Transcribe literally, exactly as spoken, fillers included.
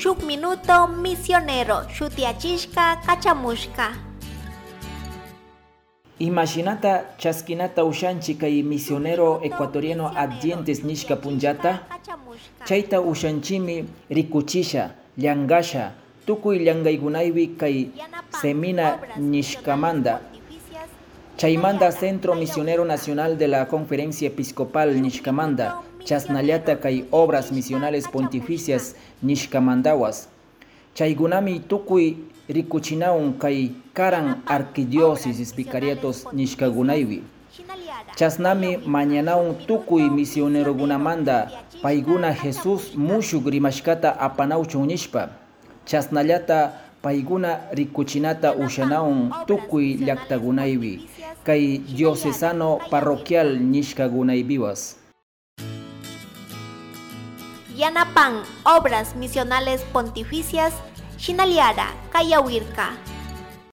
Shuk minuto misionero shutiyachishka kachamushka. Imashinata chaskinata ushanchi kay misionero ecuatoriano Adyentes nishka punllata? Chayta ushanchimi rikuchisha, llangasha, tukuy llangaygunaywi kay Semina nishkamanda, chaymanda Centro Misionero Nacional de la Conferencia Episcopal nishkamanda, chasnallata kay Obras Misionales Pontificias nishkamandawas. Chaygunami tukuy rikuchinawan kay karan arquidiócesis vicariatos nishkagunaywi. Chasnami mañanawan tukuy misionerogunamanda payguna Jesús mushuk rimashkata apanawchun nishpa. Chasnallata payguna rikuchinata ushanawan tukuy llaktagunaywi, kay diocesano parroquial nishkagunaypiwas. Yanapan Obras Misionales Pontificias shinallara kayawirka.